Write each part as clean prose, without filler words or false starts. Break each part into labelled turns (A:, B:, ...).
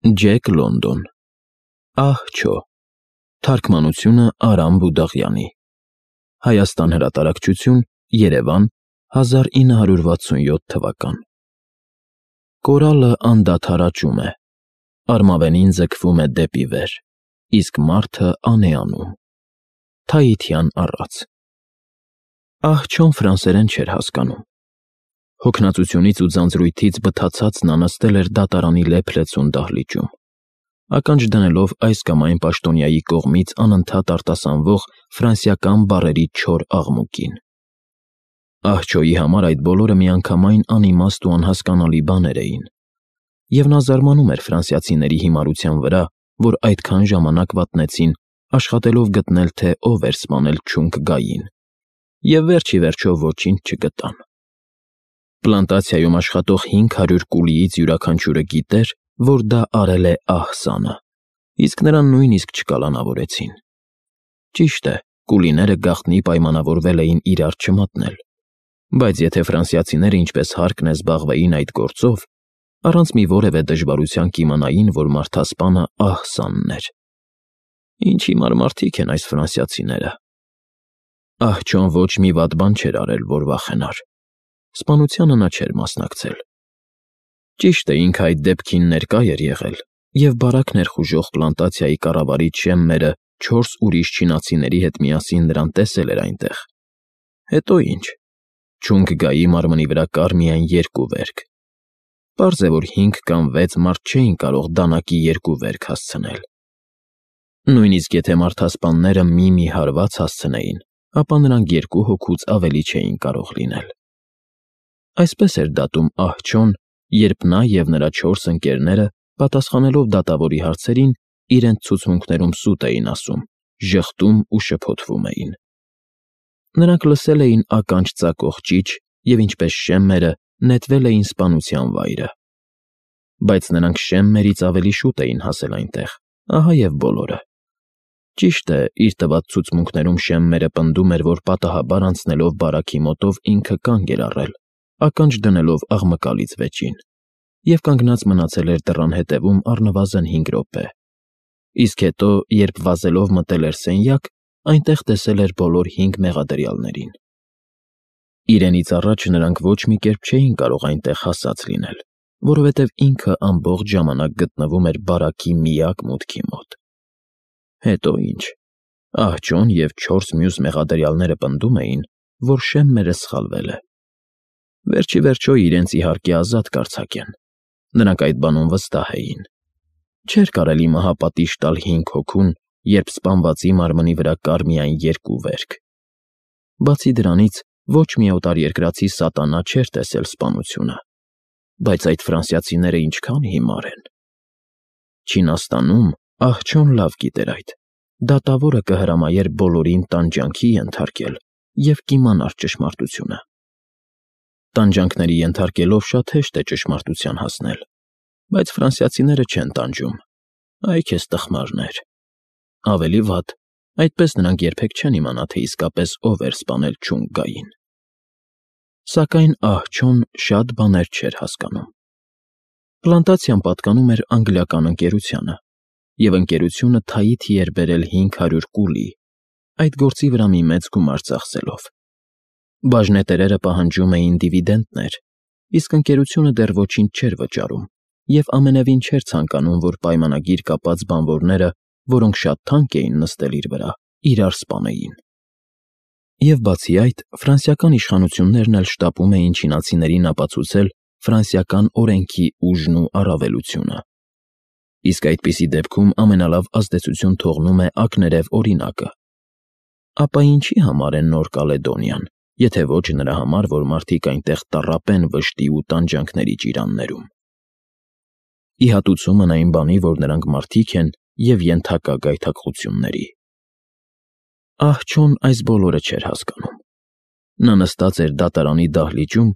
A: Ջեք Լոնդոն Ահ-չո Թարգմանությունը Արամ Բուդաղյանի Հայաստան հրատարակչություն Երևան 1967 թվական Կորալը անդադար աճում է, արմավենին ձգվում է դեպի վեր, իսկ մարդը անեանում։ Թայիթյան առած Ահ-չոն ֆրանսերեն չէր հասկանում։ Հոգնածությունից ու ձանձրույթից բթացած նա նստել էր դատարանի լեփ-լեցուն դահլիճում, ականջ դնելով այս կամ այն պաշտոնյայի կողմից անընդհատ արտասանվող ֆրանսիական բառերի չոր աղմուկին։ Ահ-չոյի համար այդ բոլորը միանգամայն անիմաստ ու անհասկանալի բաներ էին, և նա զարմանում էր ֆրանսիացիների հիմարության վրա, որ այդքան ժամանակ վատնեցին, աշխատելով գտնել, թե ով էր սպանել Չունգ Գային, և վերջ ի վերջո ոչինչ չգտան։ Պլանտացիայում աշխատող 500 կուլիից յուրաքանչյուրը գիտեր, որ դա արել է ահ-սանը, իսկ նրան նույնիսկ չկալանավորեցին։ Ճիշտ է, կուլիները գաղտնի պայմանավորվել էին իրար չմատնել, բայց եթե ֆրանսիացիները ինչպես հարկն է զբաղվեին այդ գործով, առանց մի որևէ դժվարության կիմանային, որ մարդասպանը ահ-սանն էր։ Ինչ հիմար մարդիկ են այս ֆրանսիացիները։ Ահ-չոն ոչ մի վատ բան չէր արել, որ վախենար։ Սպանությանը նա չէր մասնակցել։ Ճիշտ է, ինքը այդ դեպքին ներկա էր եղել և բարակ ներխուժող պլանտացիայի կառավարիչ Շեմմերը 4 ուրիշ չինացիների հետ միասին նրան տեսել էր այնտեղ։ Հետո ինչ։ Չունգ Գայի մարմնի վրա կար միայն 2 վերք։ Պարզ է, որ 5 կամ 6 մարդ չէին կարող դանակի 2 վերք հասցնել։ Նույնիսկ եթե մարդասպանները մի հարված հասցնեին, ապա նրանք 2 հոգուց ավելի չէին կարող լինել։ Այսպես էր դատում ահ-չոն, երբ նա և նրա 4 ընկերները, պատասխանելով դատավորի հարցերին, իրենց ցուցմունքներում սուտ էին ասում, ժխտում ու շփոթվում էին։ Նրանք լսել էին ականջ ծակող ճիչ և, ինչպես Շեմմերը, նետվել էին սպանության վայրը։ Բայց նրանք Շեմմերից ավելի շուտ էին հասել այնտեղ, ահա և բոլորը։ Ճիշտ է, իր տված ցուցմունքներում Շեմմերը պնդում էր, որ պատահաբար անցնելով բարակի մոտով ինքը կանգ էր առել, ականջ դնելով աղմկալից վեճին, և կանգնած մնացել էր դռան հետևում առնվազն 5 րոպե, իսկ հետո, երբ վազելով մտել էր սենյակ, այնտեղ տեսել էր բոլոր 5 մեղադրյալներին։ Իրենից առաջ նրանք ոչ մի կերպ չէին կարող այնտեղ հասած լինել, որովհետև ինքը ամբողջ ժամանակ գտնվում էր բարակի միակ մուտքի մոտ։ Հետո ինչ։ Ահ-չոն և 4 մյուս մեղադրյալները պնդում էին, որ Շեմմերը սխալվել է։ Վերջ ի վերջո իրենց իհարկե ազատ կարձակեն։ Նրանք այդ բանում վստահ էին։ Չէր կարելի մահապատիժ տալ 5 հոգուն, երբ սպանվածի մարմնի վրա կար միայն 2 վերք։ Բացի դրանից, ոչ մի օտարերկրացի սատանա չէր տեսել սպանությունը։ Բայց այդ ֆրանսիացիները ինչքան հիմար են։ Չինաստանում ահ-չոն լավ գիտեր այդ։ Դատավորը կհրամայեր բոլորին տանջանքի ենթարկել և կիմանար ճշմարտությունը։ Տանջանքների ենթարկելով շատ հեշտ է ճշմարտության հասնել, բայց ֆրանսիացիները չեն տանջում։ Այ քեզ տխմարներ։ Ավելի վատ, այդպես նրանք երբեք չեն իմանա, թե իսկապես ով էր սպանել Չունգ Գային։ Սակայն ահ-չոն շատ բաներ չէր հասկանում։ Պլանտացիան պատկանում էր անգլիական ընկերությանը, և ընկերությունը Թայիթի էր բերել 500 կուլի, այդ գործի վրա մի մեծ գումար ծախսելով։ Բաժնետերերը պահանջում էին դիվիդենտներ, իսկ ընկերությունը դեռ ոչինչ չէր վճարում և ամենևին չէր ցանկանում, որ պայմանագիր կապած բանվորները, որոնք շատ թանկ էին նստել իր վրա, իրար սպանեին։ Եվ բացի այդ, ֆրանսիական իշխանություններն էլ շտապում էին չինացիներին ապացուցել ֆրանսիական օրենքի ուժն ու առավելությունը։ Իսկ այդպիսի դեպքում ամենալավ ազդեցություն թողնում է ակներև օրինակը։ Ապա ինչի համար է Նոր Կալեդոնիան, եթե ոչ նրա համար, որ մարդիկ այնտեղ տառապեն վշտի ու տանջանքների ճիրաններում։ Ի հատուցումն այն բանի, որ նրանք մարդիկ են և ենթակա գայթակղությունների։ Ահ-չոն այս բոլորը չէր հասկանում։ Նա նստած էր դատարանի դահլիճում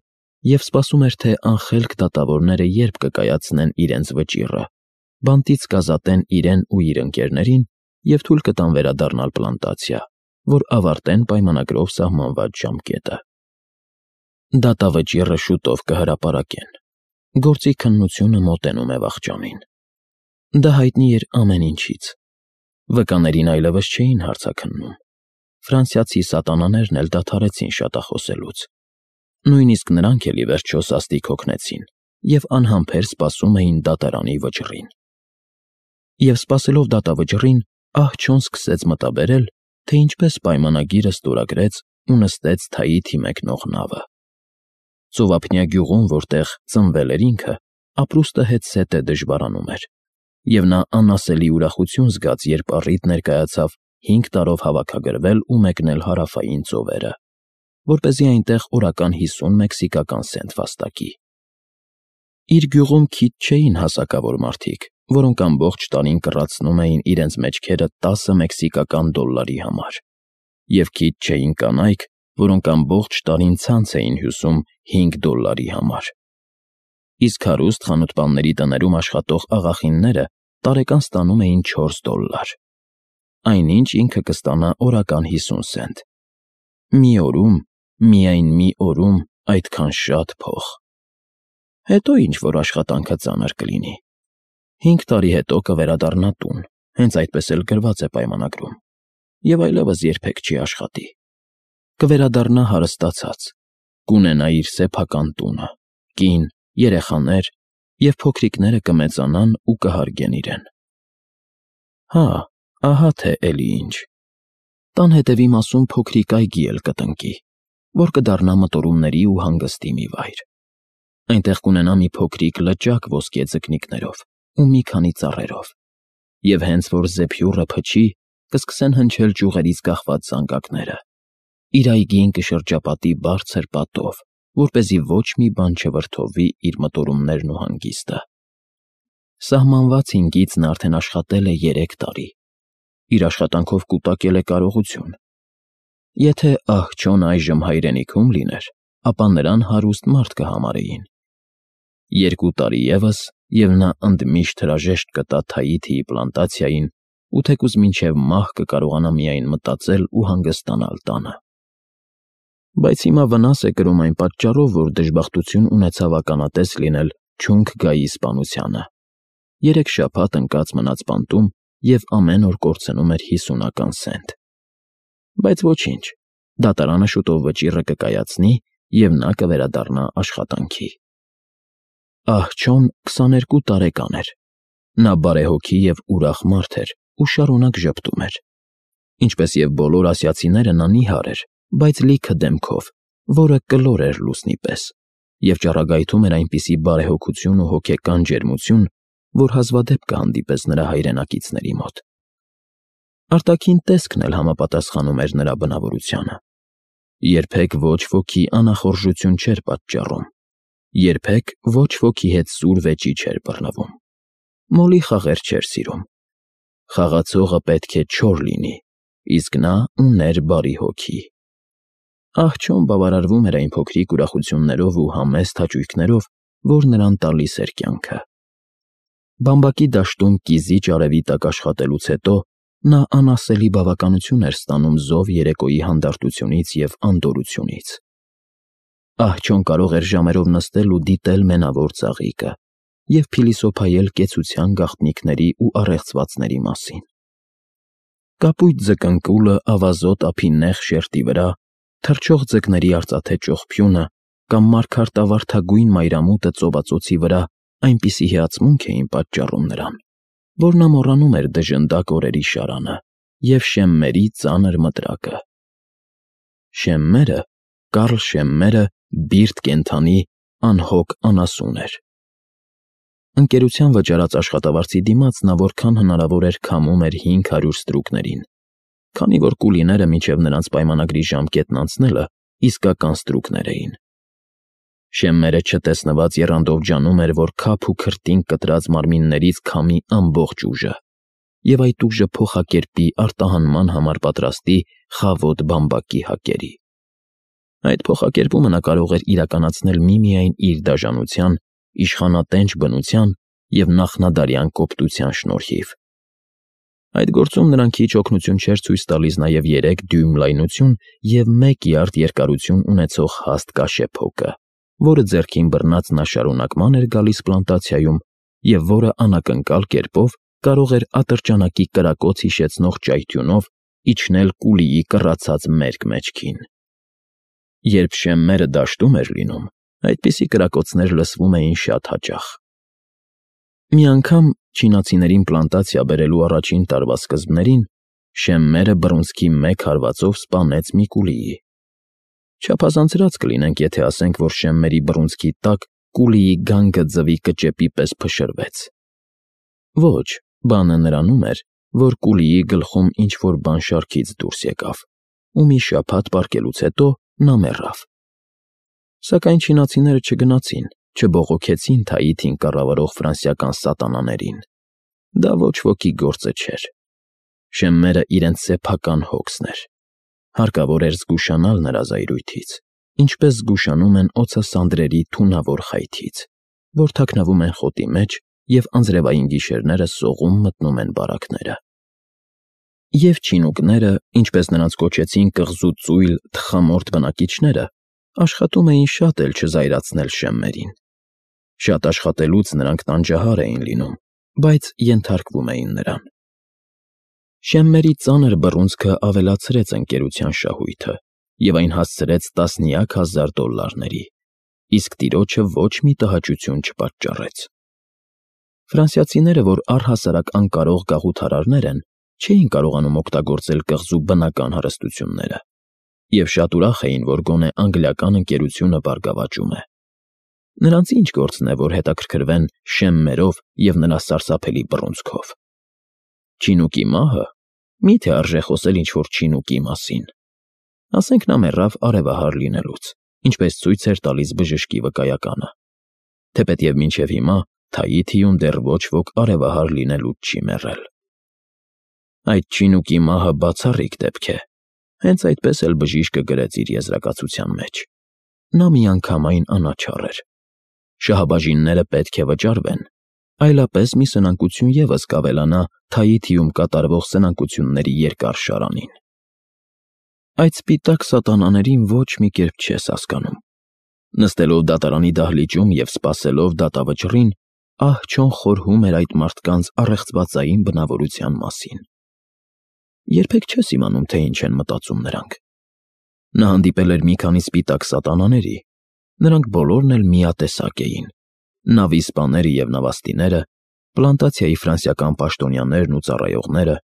A: և սպասում էր, թե անխելք դատավորները երբ կկայացնեն իրենց վճիռը, բանտից կազատեն իրեն ու իր ընկերներին և թույլ կտան վերադառնալ պլանտացիա, որ ավարտեն պայմանագրով սահմանված ժամկետը։ Դատավճիռը շուտով կհրապարակեն։ Գործի քննությունը մոտենում է վախճանին։ Դա հայտնի էր ամեն ինչից։ Վկաներին այլևս չէին հարցաքննում։ Ֆրանսիացի սատանաներն էլ դադարեցին շատախոսելուց։ Նույնիսկ նրանք էլ ի վերջո սաստիկ հոգնեցին և անհամբեր սպասում էին դատարանի վճռին։ Եվ սպասելով դատավճռին, ահ-չոն սկսեց մտաբերել, թե ինչպես պայմանագիրը ստորագրեց ու նստեց Թաիթի մեկնող նավը։ Ծովափնյա գյուղում, որտեղ ծնվել էր ինքը, ապրուստը հետզհետե դժվարանում էր, և նա անասելի ուրախություն զգաց, երբ առիթ ներկայացավ 5 տարով հավաքագրվել ու մեկնել հարավային ծովերը, որպեսզի այնտեղ օրական 50 մեքսիկական սենտ վաստակի։ Իր գյուղում քիչ չէին հասակավոր մարդիկ, որոնք ամբողջ տարին կռացնում էին իրենց մեջքերը 10 մեքսիկական դոլարի համար, և քիչ չէին կանայք, որոնք ամբողջ տարին ցանց էին հյուսում 5 դոլարի համար։ Իսկ հարուստ խանութպանների տներում աշխատող աղախինները տարեկան ստանում էին 4 դոլար, այնինչ ինքը կստանա օրական 50 սենտ։ Մի օրում, միայն մի օրում այդքան շատ փող։ Հետո ինչ-որ աշխատանքը ծանր կլինի։ 5 տարի հետո կվերադառնա տուն, հենց այդպես էլ գրված է պայմանագրում, և այլևս երբեք չի աշխատի։ Կվերադառնա հարստացած, կունենա իր սեփական տունը, կին, երեխաներ, և փոքրիկները կմեծանան ու կհարգեն իրեն։ Հա, ահա թե էլի ինչ։ Տան հետևի մասում փոքրիկ այգի էլ կտնկի, որ կդառնա մտորումների ու հանգստի մի վայր։ Այնտեղ կունենա մի փոքրիկ լճակ ոսկե ձկնիկներով ու մի քանի ծառերով, և հենց որ զեփյուռը փչի, կսկսեն հնչել ճյուղերից կախված զանգակները։ Իր այգին կշրջապատի բարձր պատով, որպեսզի ոչ մի բան չվրդովի իր մտորումներն ու հանգիստը։ Սահմանված հինգից նա արդեն աշխատել է 3 տարի։ Իր աշխատանքով կուտակել է կարողություն։ Եթե ահ-չոն այժմ հայրենիքում լիներ, ապա նրան հարուստ մարդ կհամարեին։ 2 տարի ևս, և նա ընդմիշտ հրաժեշտ կտա Թաիթիի պլանտացիային ու թեկուզ մինչև մահ կկարողանա միայն մտածել ու հանգստանալ տանը։ Բայց հիմա վնաս է կրում այն պատճառով, որ դժբախտություն ունեցավ ականատես լինել չունք գայի սպանությանը։ 3 շաբաթ ընկած մնաց բանտում և ամեն օր կորցնում էր 50 սենտ։ Բայց ոչինչ, դատարանը շուտով վճիռը կկայացնի, և նա կվերադառնա աշխատանքի։ Ահ-չոն 22 տարեկան էր։ Նա բարեհոգի և ուրախ մարդ էր ու շարունակ ժպտում էր։ Ինչպես և բոլոր ասիացիները, նա նիհար էր, բայց լիքը դեմքով, որը կլոր էր լուսնի պես, և ճառագայթում էր այնպիսի բարեհոգություն ու հոգեկան ջերմություն, որ հազվադեպ կհանդիպես նրա հայրենակիցների մոտ։ Արտաքին տեսքն էլ համապատասխանում էր նրա բնավորությանը։ Երբեք ոչ ոքի անախորժություն չէր պատճառում, երբեք ոչ ոքի հետ սուր վեճի չէր բռնվում, մոլի խաղեր չէր սիրում։ Խաղացողը պետք է չոր լինի, իսկ նա ուներ բարի հոգի։ Ահ-չոն բավարարվում էր այն փոքրիկ ուրախություններով ու համեստ հաճույքներով, որ նրան տալիս էր կյանքը։ Բամբակի դաշտում կիզիչ արևի տակ աշխատելուց հետո նա անասելի բավականություն էր ստանում զով երեկոյի հանդարտությունից և անդորրությունից։ Ահ-չոն կարող էր ժամերով նստել ու դիտել մենավոր ծաղիկը և փիլիսոփայել կեցության գաղտնիքների ու առեղծվածների մասին։ Կապույտ ձկնկուլը ավազոտ ափի նեղ շերտի վրա, թռչող ձկների արծաթե ճողփյունը կամ մարգարտավարդագույն մայրամուտը ծովածոցի վրա այնպիսի հիացմունք էին պատճառում նրան, որ նա մոռանում էր դժնդակ օրերի շարանը և Շեմմերի ծանր մտրակը։ Շեմմերը, Կարլ Շեմմերը, բիրտ կենդանի, անհոգ անասուն էր։ Ընկերության վճարած աշխատավարձի դիմաց նա որքան հնարավոր էր քամում էր 500 ստրուկներին, քանի որ կուլիները մինչև նրանց պայմանագրի ժամկետն անցնելը իսկական ստրուկներ էին։ Շեմմերը չտեսնված եռանդով ջանում էր, որ քափ ու քրտինք կտրած մարմիններից քամի ամբողջ ուժը, և այդ ուժը փոխակերպի արտահանման համար պատրաստի խավոտ բամբակի հակերի։ Այդ փոխակերպումը նա կարող էր իրականացնել միմիայն իր դաժանության, իշխանատենչ բնության և նախնադարյան կոպտության շնորհիվ։ Այդ գործում նրան քիչ օգնություն չէր ցույց տալիս նաև 3 դյույմ լայնություն և 1 յարդ երկարություն ունեցող հաստ կաշեփոկը, որը ձեռքին բռնած նա շարունակ ման էր գալիս պլանտացիայում և որը անակնկալ կերպով կարող էր ատրճանակի կրակոց հիշեցնող ճայթյունով իջնել Կուլիի կռացած մերկ մեջքին։ Երբ շեմմերը դաշտում էր լինում, այդպիսի կրակոցներ լսվում էին շատ հաճախ։ Մի անգամ չինացիներին պլանտացիա բերելու առաջին տարվա սկզբներին շեմմերը բռունցքի մեկ հարվածով սպանեց մի Կուլիի։ Չափազանցրած կլինենք, եթե ասենք, որ շեմմերի բռունցքի տակ Կուլիի գանգը ձվի կճեպի պես փշրվեց։ Ոչ, բանը նրանում էր, որ Կուլիի գլխում ինչ-որ բան շարքից դուրս եկավ, ու մի շաբաթ պառկելուց հետո նա մեռավ։ Սակայն չինացիները չգնացին, չբողոքեցին Թաիթին կառավարող ֆրանսիական սատանաներին։ Դա ոչ ոքի գործը չէր։ Շեմմերը իրենց սեփական հոգսն էր։ Հարկավոր էր զգուշանալ նրա զայրույթից, ինչպես զգուշանում են օձասանդրերի թունավոր խայթից, որ թաքնվում են խոտի մեջ և անձրևային գիշերները սողում մտնում են բարակները։ Եվ չինուկները, ինչպես նրանց կոչեցին կղզու ծույլ, թխամորթ բնակիչները, աշխատում էին շատ էլ չզայրացնել շեմմերին։ Շատ աշխատելուց նրանք տանջահար էին լինում, բայց ենթարկվում էին նրան։ Շեմմերի ծանր բռունցքը ավելացրեց ընկերության շահույթը և այն հասցրեց տասնյակ հազար դոլլարների, իսկ տիրոջը ոչ մի տհաճություն չպատճառեց։ Ֆրանսիացիները, որ առհասարակ անկարող գաղութարարներ են, չէին կարողանում օգտագործել կղզու բնական հարստությունները և շատ ուրախ էին, որ գոնե անգլիական ընկերությունը բարգավաճում է։ Նրանց ինչ գործն է, որ հետաքրքրվեն շեմմերով և նրա սարսափելի բռունցքով։ Չինուկի մահը, մի՞թե արժե խոսել ինչ-որ չինուկի մասին։ Ասենք նա մեռավ արևահար լինելուց, ինչպես ցույց էր տալիս բժշկի վկայականը, թեպետև մինչև հիմա Թաիթիում դեռ ոչ ոք արևահար լինելուց չի մեռել։ Այդ չինուկի մահը բացառիկ դեպք է, հենց այդպես էլ բժիշկը գրեց իր եզրակացության մեջ։ Նա միանգամայն անաչառ էր։ Շահաբաժինները պետք է վճարվեն, այլապես մի սնանկություն ևս կավելանա Թաիթիում կատարվող սնանկությունների երկար շարանին։ Այդ սպիտակ սատանաներին ոչ մի կերպ չես հասկանում։ Նստելով դատարանի դահլիճում և սպասելով դատավճռին, ահ-չոն խորհում էր այդ մարդկանց առեղծվածային բնավորության մասին։ Երբեք չես իմանում, թե ինչ են մտածում նրանք։ Նա հանդիպել էր մի քանի սպիտակ սատանաների, նրանք բոլորն էլ միատեսակ էին՝ նավի սպաները և նավաստիները, պլանտացիայի ֆրանսիական պաշտոնյաներն ու ծառայողները,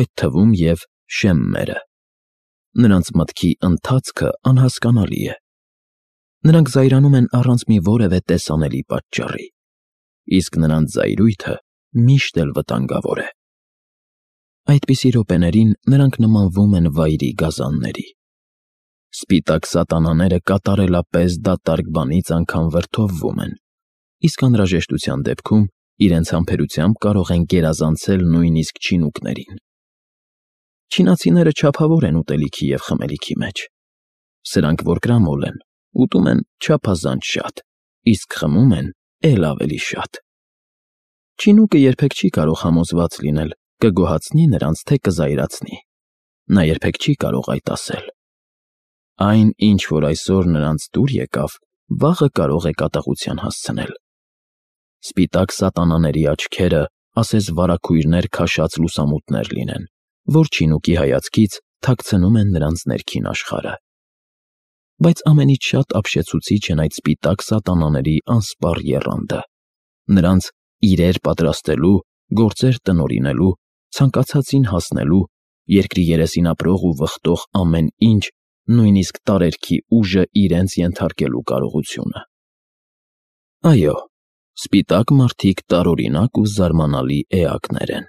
A: այդ թվում և շեմմերը։ Նրանց մտքի ընթացքը անհասկանալի է։ Նրանք զայրանում են առանց մի որևէ տեսանելի պատճառի, իսկ նրանց զայրույթը միշտ էլ վտանգավոր է։ Այդպիսի րոպեներին նրանք նմանվում են վայրի գազանների։ Սպիտակ սատանաները կատարելապես դատարկ բանից անգամ վրդովվում են, իսկ անհրաժեշտության դեպքում իրենց համբերությամբ կարող են գերազանցել նույնիսկ չինուկներին։ Չինացիները չափավոր են ուտելիքի և խմելիքի մեջ։ Սրանք որ կրամոլ են, ուտում են չափազանց շատ, իսկ խմում են էլ ավելի շատ։ Չինուկը երբեք չի կարող համոզված լինել՝ կգոհացնի նրանց, թե կզայրացնի։ Նա երբեք չի կարող այդ ասել։ Այն, ինչ որ այսօր նրանց դուր եկավ, վաղը կարող է կատաղության հասցնել։ Սպիտակ սատանաների աչքերը ասես վարագույրներ քաշած լուսամուտներ լինեն, որ չինուկի հայացքից թաքցնում են նրանց ներքին աշխարհը։ Բայց ամենից շատ ապշեցուցիչ են այդ սպիտակ սատանաների անսպառ եռանդը։ Նրանց իրեր պատրաստելու, գործեր տնօրինելու, ցանկացածին հասնելու, երկրի երեսին ապրող ու վխտող ամեն ինչ, նույնիսկ տարերքի ուժը իրենց ենթարկելու կարողությունը։ Այո, սպիտակ մարդիկ տարօրինակ ու զարմանալի էակներ են։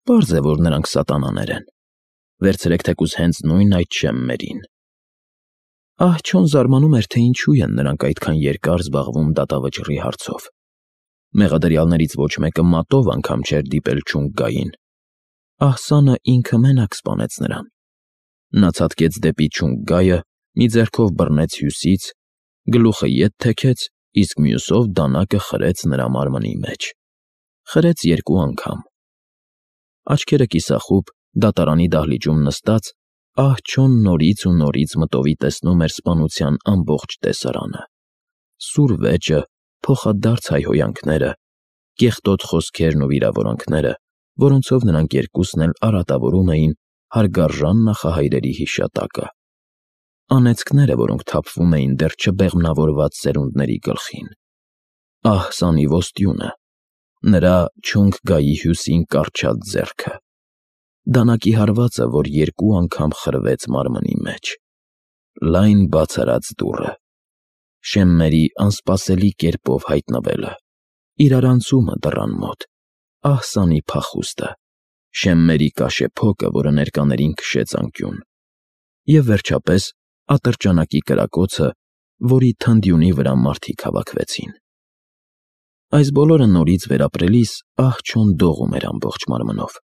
A: Պարզ է, որ նրանք սատանաներ են։ Վերցրեք թեկուզ հենց նույն այդ շեմմերին։ Ահ-չոն զարմանում էր, թե ինչու են նրանք այդքան երկար զբաղվում դատավճռի հարցով։ Մեղադրյալներից ոչ մեկը մատով անգամ չէր դիպել Չունգգային։ Ահսանը ինքը մենակ սպանեց նրան։ Նա ցատկեց դեպի Չունգգայը, մի ձեռքով բռնեց հյուսից, գլուխը ետ թեքեց, իսկ մյուսով դանակը խրեց նրա մարմնի մեջ։ Խրեց 2 անգամ։ Աչքերը կիսախուբ, դատարանի դահլիճում նստած, ահ-չոն նորից ու նորից մտովի տեսնում էր սպանության ամբողջ տեսարանը։ Սուր վեճը, փոխադարձ հայհոյանքները, կեղտոտ խոսքերն ու վիրավորանքները, որոնցով նրանք երկուսն էլ արատավորում էին հարգարժան նախահայրերի հիշատակը, անեծքները, որոնք թափվում էին դեռ չբեղմնավորված սերունդների գլխին, ահ սանի ոստյունը, նրա չունք գայի հյուսին կառչած ձեռքը, դանակի հարվածը, որ 2 անգամ խրվեց մարմնի մեջ, լայն բաց դուռը, Շեմմերի անսպասելի կերպով հայտնվելը, իրարանցումը դռան մոտ, ահ սանի փախուստը, Շեմմերի կաշեփոկը, որը ներկաներին քշեց անկյուն, և վերջապես ատրճանակի կրակոցը, որի թնդյունի վրա մարդիկ հավաքվեցին։ Այս բոլորը նորից վերապրելիս ահ-չոն դողում էր ամբողջ մարմնով։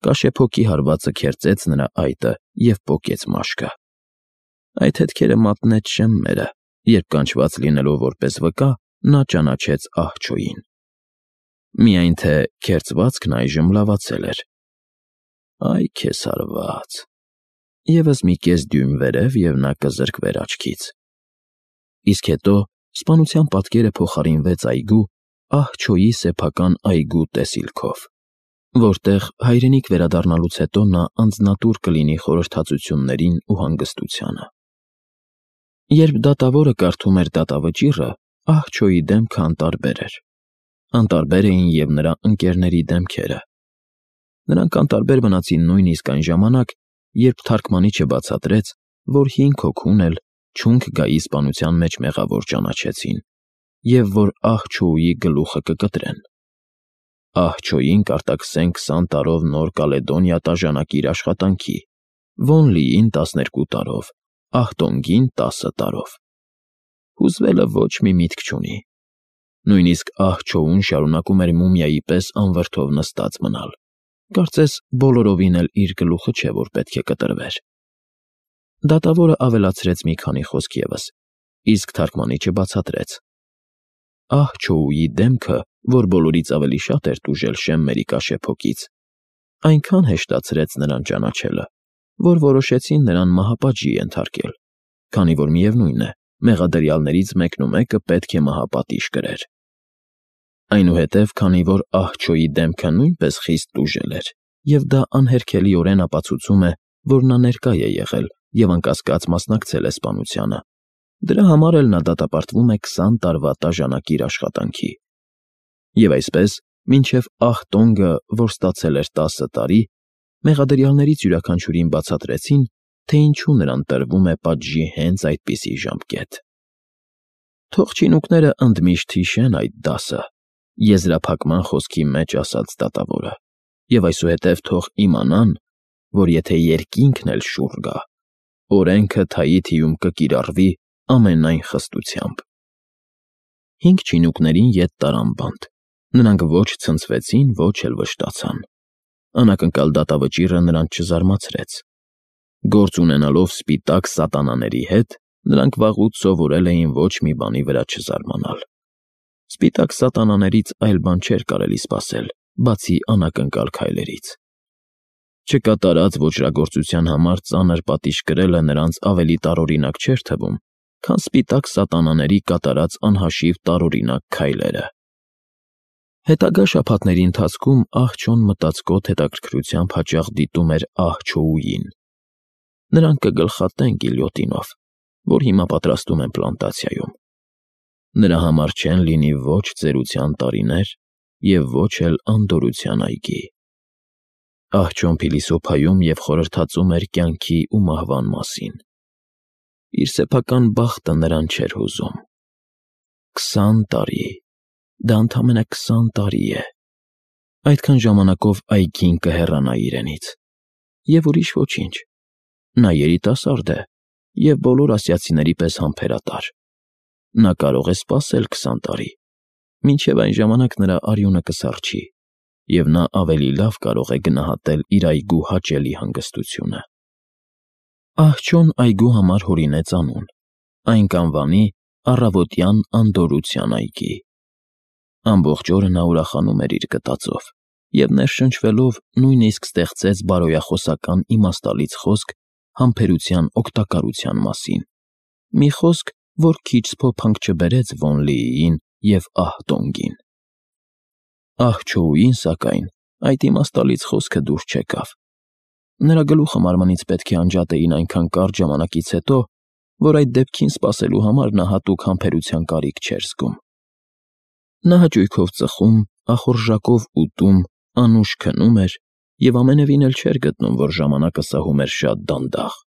A: Կաշեփոկի հարվածը քերծեց նրա այտը և պոկեց մաշկը։ Այդ հետքերը մատնեց Շեմմերը, երբ կանչված լինելով որպես վկա, նա ճանաչեց ահ-չոյին։ Միայն թե քերծվածքն այժմ լավացել էր։ Այ քեզ հարված։ Եվս մի կես դյույմ վերև, և նա կզրկվեր աչքից։ Իսկ հետո սպանության պատկերը փոխարինվեց այգու, ահ-չոյի սեփական այգու տեսիլքով, որտեղ հայրենիք վերադառնալուց հետո նա անձնատուր կլինի խորհրդածություններին ու հանգստությանը։ Երբ դատավորը կարդում էր դատավճիռը, ահ-չոյի դեմքը անտարբեր էր։ Անտարբեր էին և նրա ընկերների դեմքերը։ Նրանք անտարբեր մնացին նույնիսկ այն ժամանակ, երբ թարգմանիչը բացատրեց, որ 5 հոգուն էլ չունք գայի սպանության մեջ մեղավոր ճանաչեցին, և որ ահ-չոուի գլուխը կկտրեն։ Ահ-չոյին կարտաքսեն 20 տարով Նոր Կալեդոնիա տաժանակիր աշխատանքի, Վոնլիին 12 տարով, Ահտոնգին 10 տարով։ Հուզվելը ոչ մի միտք չունի։ Նույնիսկ ահ-չոուն շարունակում էր մումիայի պես անվրդով նստած մնալ։ Կարծես բոլորովին էլ իր գլուխը չէ, որ պետք է կտրվեր։ Դատավորը ավելացրեց մի քանի խոսք ևս, իսկ թարգմանիչը բացատրեց. ահ-չոուի դեմքը, որ բոլորից ավելի շատ էր տուժել Շեմմերի կաշեփոկից, այնքան հեշտացրեց նրան ճանաչելը, որ որոշեցին նրան մահապատժի ենթարկել, քանի որ միևնույն է, մեղադրյալներից մեկնումեկը պետք է մահապատիժ կրեր։ Այնուհետև, քանի որ ահ-չոյի դեմքը նույնպես խիստ տուժել էր, և դա անհերքելիորեն ապացուցում է, որ նա ներկա է եղել և անկասկած մասնակցել է սպանությանը, դրա համար էլ նա դատապարտվում է 20 տարվա տաժանակիր աշխատանքի։ Եվ այսպես, մինչև Ահտոնգը, որ ստացել էր 10 տարի, մեղադրյալներից յուրաքանչյուրին բացատրեցին, թե ինչու նրան տրվում է պատժի հենց այդպիսի ժամկետ։ Թող չինուկները ընդմիշտ հիշեն այդ դասը, եզրափակման խոսքի մեջ ասաց դատավորը, և այսուհետև թող իմանան, որ եթե երկինքն էլ շուռ գա, օրենքը թայի-թիում կկիրառվի ամենայն խստությամբ։ 5 չինուկներին ետ տարան բանտ, նրանք ոչ ցնցվեցին, ոչ էլ վշտացան։ Անակնկալ դատավճիռը նրանց չզարմացրեց։ Գործ ունենալով սպիտակ սատանաների հետ, նրանք վաղուց սովորել էին ոչ մի բանի վրա չզարմանալ։ Սպիտակ սատանաներից այլ բան չէր կարելի սպասել, բացի անակնկալ քայլերից։ Չկատարած ոճրագործության համար ծանր պատիժ կրելը նրանց ավելի տարօրինակ չէր թվում, քան սպիտակ սատանաների կատարած անհաշիվ տարօրինակ քայլերը։ Հետագա շաբաթների ընթացքում ահ-չոն մտածկոտ հետաքրքրությամբ հաճախ դիտում էր ահ-չոուին։ Նրանք կգլխատեն գիլյոտինով, որ հիմա պատրաստում են պլանտացիայում։ Նրա համար չեն լինի ոչ ծերության տարիներ և ոչ էլ անդորրության այգի։ Ահ-չոն փիլիսոփայում և խորհրդածում էր կյանքի ու մահվան մասին։ Իր սեփական բախտը նրան չէր հուզում։ 20 տարի, դա ընդամենը 20 տարի է։ Այդքան ժամանակով այգին կհեռանա իրենից։ Եվ ուրիշ ոչինչ։ Նա երիտասարդ է և բոլոր ասիացիների պես համբերատար։ Նա կարող է սպասել 20 տարի, մինչև այն ժամանակ նրա արյունը կսառչի, և նա ավելի լավ կարող է գնահատել իր այգու հաճելի հանգստությունը։ Ահ-չոն այգու համար հորինեց անուն, այն կանվանի Առավոտյան անդորրության այգի։ Ամբողջ օրը նա ուրախանում էր իր գտածով և ներշնչվելով նույնիսկ ստեղծեց բարոյախոսական իմաստալից խոսք համբերության օգտակարության մասին, մի խոսք, որ քիչ սփոփանք չբերեց Վոնլիին և Ահտոնգին։ Ահ-Չոուին, սակայն, այդ իմաստալից խոսքը դուրս չեկավ։ Նրա գլուխը մարմնից պետք է անջատեին այնքան կարճ ժամանակից հետո, որ այդ դեպքին սպասելու համար նա հատուկ համբերության կարիք չէր զգում։ Նա հաճույքով ծխում, ախորժակով ուտում, անուշ քնում էր և ամենևին էլ չէր գտնում, որ ժամանակը սահում էր շատ դանդաղ։